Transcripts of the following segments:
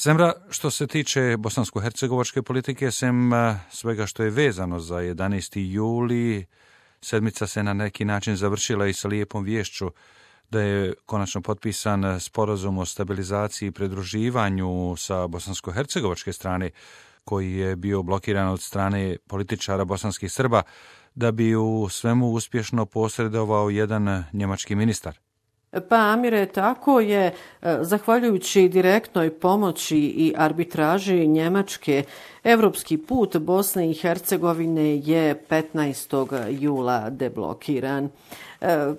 Zemra, što se tiče bosansko-hercegovačke politike, sem svega što je vezano za 11. juli, sedmica se na neki način završila i sa lijepom viješću da je konačno potpisan sporazum o stabilizaciji i pridruživanju sa bosansko-hercegovačke strane, koji je bio blokiran od strane političara bosanskih Srba, da bi u svemu uspješno posredovao jedan njemački ministar. Pa Amire, tako je, zahvaljujući direktnoj pomoći i arbitraži Njemačke, evropski put Bosne i Hercegovine je 15. jula deblokiran.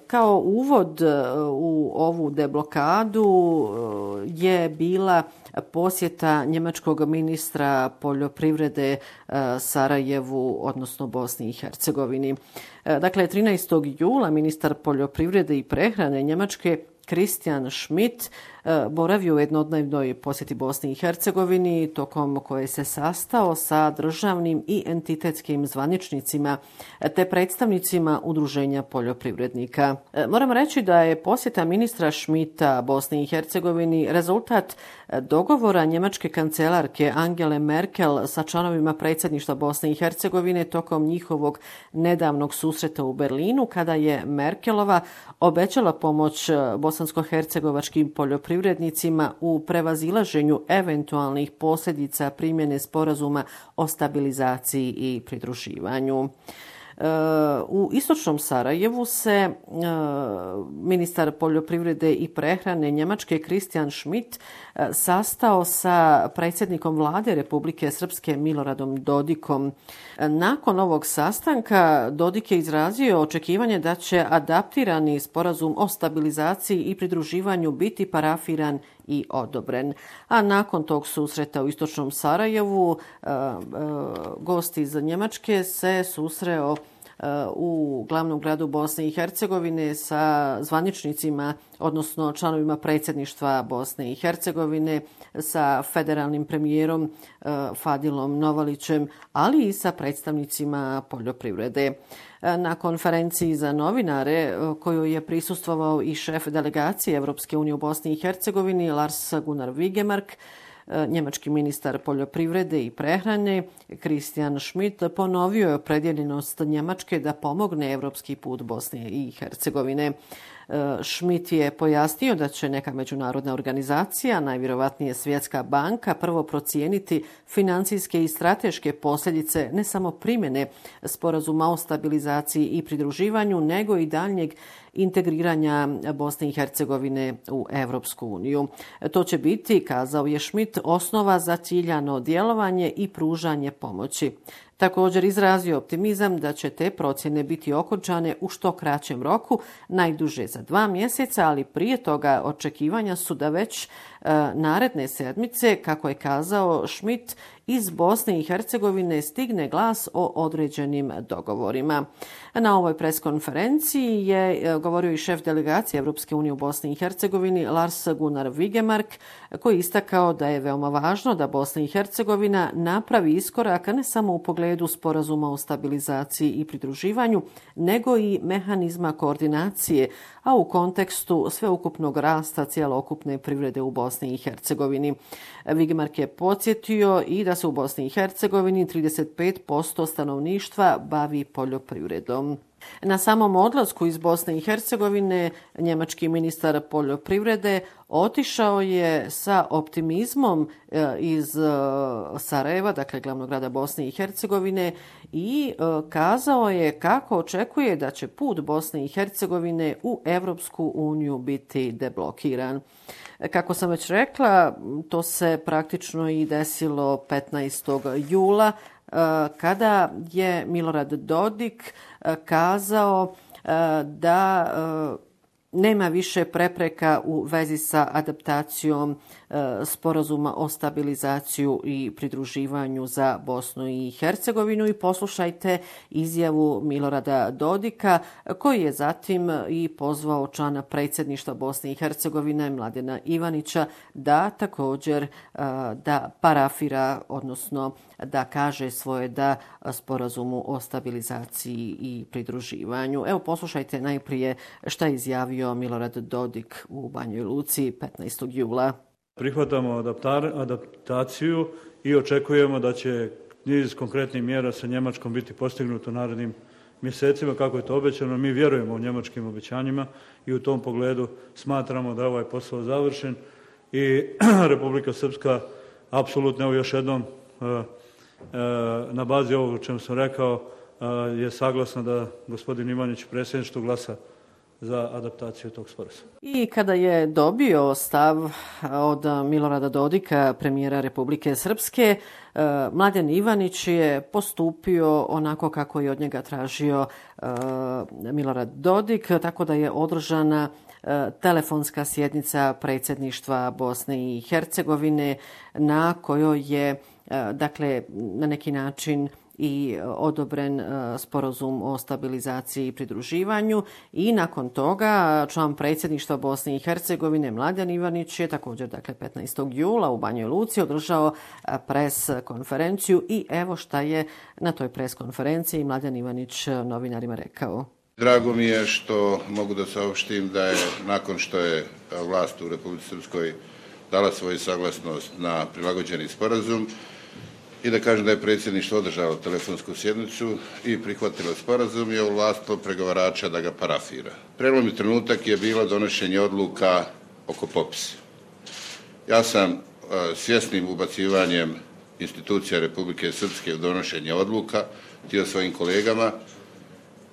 Kao uvod u ovu deblokadu je bila posjeta njemačkog ministra poljoprivrede Sarajevu, odnosno Bosni i Hercegovini. Dakle, 13. jula ministar poljoprivrede i prehrane Njemačke Christian Schmidt boravio u jednodnevnoj posjeti Bosni i Hercegovini, tokom koje se sastao sa državnim i entitetskim zvaničnicima te predstavnicima udruženja poljoprivrednika. Moram reći da je posjeta ministra Schmidta Bosni i Hercegovini rezultat dogovora njemačke kancelarke Angele Merkel sa članovima predsjedništva Bosne i Hercegovine tokom njihovog nedavnog susreta u Berlinu, kada je Merkelova obećala pomoć bosansko-hercegovačkim poljoprivrednicima u prevazilaženju eventualnih posljedica primjene sporazuma o stabilizaciji i pridruživanju. U istočnom Sarajevu se ministar poljoprivrede i prehrane Njemačke Christian Schmidt sastao sa predsjednikom vlade Republike Srpske Miloradom Dodikom. Nakon ovog sastanka Dodik je izrazio očekivanje da će adaptirani sporazum o stabilizaciji i pridruživanju biti parafiran i odobren. A nakon tog susreta u istočnom Sarajevu gost iz Njemačke se susreo u glavnom gradu Bosne i Hercegovine sa zvaničnicima, odnosno članovima predsjedništva Bosne i Hercegovine, sa federalnim premijerom Fadilom Novalićem, ali i sa predstavnicima poljoprivrede. Na konferenciji za novinare, koju je prisustvovao i šef delegacije Europske unije u Bosni i Hercegovini Lars Gunnar Vigemark, njemački ministar poljoprivrede i prehrane Christian Schmidt ponovio je opredjeljenost Njemačke da pomogne evropski put Bosne i Hercegovine. Schmidt je pojasnio da će neka međunarodna organizacija, najvjerovatnije Svjetska banka, prvo procijeniti financijske i strateške posljedice ne samo primjene sporazuma o stabilizaciji i pridruživanju, nego i daljnjeg integriranja Bosne i Hercegovine u Europsku uniju. To će biti, kazao je Schmidt, osnova za ciljano djelovanje i pružanje pomoći. Također izrazio optimizam da će te procjene biti okončane u što kraćem roku, najduže za 2 mjeseca, ali prije toga očekivanja su da već naredne sedmice, kako je kazao Schmidt, iz Bosne i Hercegovine stigne glas o određenim dogovorima. Na ovoj preskonferenciji je govorio i šef delegacije Europske unije u Bosni i Hercegovini Lars Gunnar Vigemark, koji je istakao da je veoma važno da Bosna i Hercegovina napravi iskorak ne samo u pogledu sporazuma o stabilizaciji i pridruživanju, nego i mehanizma koordinacije, a u kontekstu sveukupnog rasta cjelokupne privrede u Bosni i Hercegovini. Vigemark je podsjetio i da se u Bosni i Hercegovini 35% stanovništva bavi poljoprivredom. Na samom odlasku iz Bosne i Hercegovine njemački ministar poljoprivrede otišao je sa optimizmom iz Sarajeva, dakle glavnog grada Bosne i Hercegovine, i kazao je kako očekuje da će put Bosne i Hercegovine u Europsku uniju biti deblokiran. Kako sam već rekla, to se praktično i desilo 15. jula, kada je Milorad Dodik kazao da nema više prepreka u vezi sa adaptacijom sporazuma o stabilizaciju i pridruživanju za Bosnu i Hercegovinu, i poslušajte izjavu Milorada Dodika, koji je zatim i pozvao člana predsjedništva Bosne i Hercegovine Mladena Ivanića da također da parafira, odnosno da kaže svoje da sporazumu o stabilizaciji i pridruživanju. Evo, poslušajte najprije šta je izjavio Milorad Dodik u Banjoj Luci 15. jula. Prihvatamo adaptaciju i očekujemo da će niz konkretnih mjera sa Njemačkom biti postignuto narednim mjesecima, kako je to obećano. Mi vjerujemo u njemačkim obećanjima i u tom pogledu smatramo da je ovaj posao završen i Republika Srpska apsolutno, evo još jednom, na bazi ovog o čemu sam rekao, je saglasna da gospodin Ivanić predsjedništvo glasa za adaptaciju tog sporazuma. I kada je dobio stav od Milorada Dodika, premijera Republike Srpske, Mladen Ivanić je postupio onako kako je od njega tražio Milorad Dodik, tako da je održana telefonska sjednica predsjedništva Bosne i Hercegovine na kojoj je na neki način i odobren sporazum o stabilizaciji i pridruživanju i nakon toga član predsjedništva Bosne i Hercegovine Mladen Ivanić je također 15. jula u Banjoj Luci održao pres konferenciju i evo šta je na toj pres konferenciji Mladen Ivanić novinarima rekao. Drago mi je što mogu da saopštim da je nakon što je vlast u Republici Srpskoj dala svoju saglasnost na prilagođeni sporazum i da kažem da je predsjedništvo održalo telefonsku sjednicu i prihvatilo sporazum i ovlastilo pregovarača da ga parafira. Prelomni trenutak je bilo donošenje odluka oko popisa. Ja sam svjesnim ubacivanjem institucija Republike Srpske u donošenje odluka htio svojim kolegama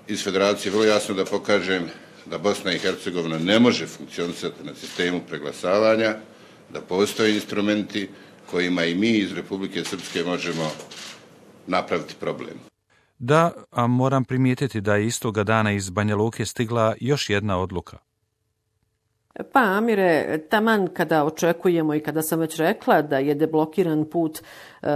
iz Federacije vrlo jasno da pokažem da Bosna i Hercegovina ne može funkcionisati na sistemu preglasavanja, da postoje instrumenti kojima i mi iz Republike Srpske možemo napraviti problem. Da, a moram primijetiti da je istoga dana iz Banja Luke stigla još jedna odluka. Pa, Amire, taman kada očekujemo i kada sam već rekla da je deblokiran put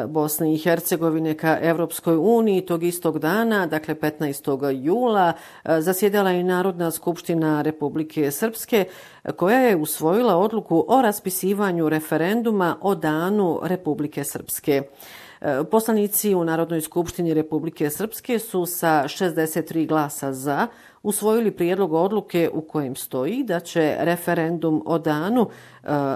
Bosne i Hercegovine ka Evropskoj uniji, tog istog dana, 15. jula, zasjedala i Narodna skupština Republike Srpske, koja je usvojila odluku o raspisivanju referenduma o danu Republike Srpske. Poslanici u Narodnoj skupštini Republike Srpske su sa 63 glasa za usvojili prijedlog odluke u kojem stoji da će referendum o danu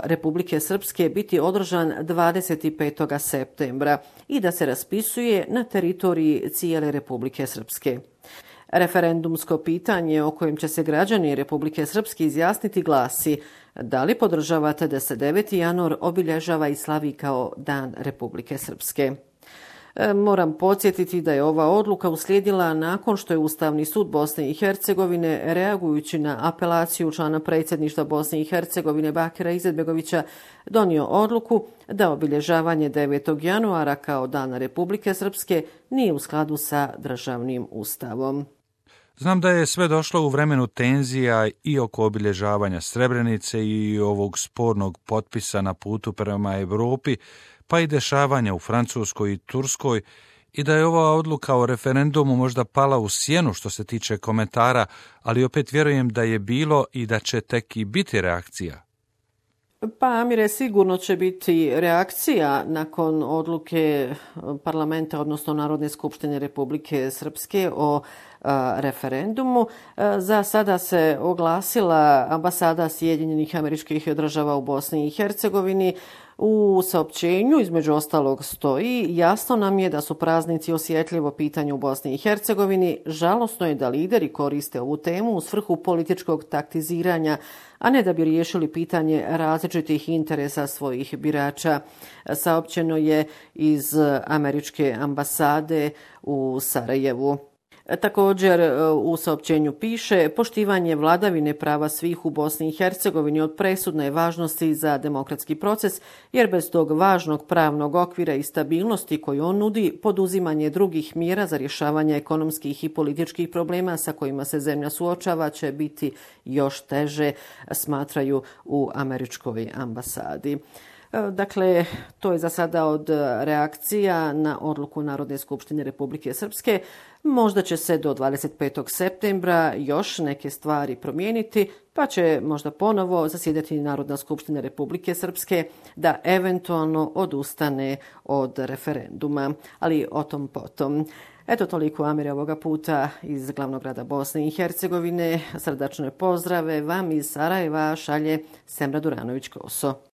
Republike Srpske biti održan 25. septembra i da se raspisuje na teritoriji cijele Republike Srpske. Referendumsko pitanje o kojem će se građani Republike Srpske izjasniti glasi: da li podržavate da se 9. januar obilježava i slavi kao Dan Republike Srpske? Moram podsjetiti da je ova odluka uslijedila nakon što je Ustavni sud Bosne i Hercegovine, reagujući na apelaciju člana predsjedništva Bosne i Hercegovine Bakira Izetbegovića, donio odluku da obilježavanje 9. januara kao Dana Republike Srpske nije u skladu sa državnim ustavom. Znam da je sve došlo u vremenu tenzija i oko obilježavanja Srebrenice i ovog spornog potpisa na putu prema Europi, pa i dešavanja u Francuskoj i Turskoj, i da je ova odluka o referendumu možda pala u sjenu što se tiče komentara, ali opet vjerujem da je bilo i da će tek i biti reakcija. Pa, Amire, sigurno će biti reakcija nakon odluke parlamenta, odnosno Narodne skupštine Republike Srpske o referendumu. Za sada se oglasila ambasada Sjedinjenih Američkih Država u Bosni i Hercegovini. U saopćenju, između ostalog, stoji: jasno nam je da su praznici osjetljivo pitanje u Bosni i Hercegovini. Žalosno je da lideri koriste ovu temu u svrhu političkog taktiziranja, a ne da bi riješili pitanje različitih interesa svojih birača. Saopćeno je iz Američke ambasade u Sarajevu. Također u saopćenju piše: poštivanje vladavine prava svih u Bosni i Hercegovini od presudne je važnosti za demokratski proces, jer bez tog važnog pravnog okvira i stabilnosti koju on nudi, poduzimanje drugih mjera za rješavanje ekonomskih i političkih problema sa kojima se zemlja suočava će biti još teže, smatraju u Američkoj ambasadi. Dakle, to je za sada od reakcija na odluku Narodne skupštine Republike Srpske. Možda će se do 25. septembra još neke stvari promijeniti, pa će možda ponovo zasjedati Narodna skupština Republike Srpske da eventualno odustane od referenduma, ali o tom potom. Eto, toliko, Amire, ovoga puta iz glavnog grada Bosne i Hercegovine. Srdačne pozdrave vam iz Sarajeva šalje Semra Duranović-Koso.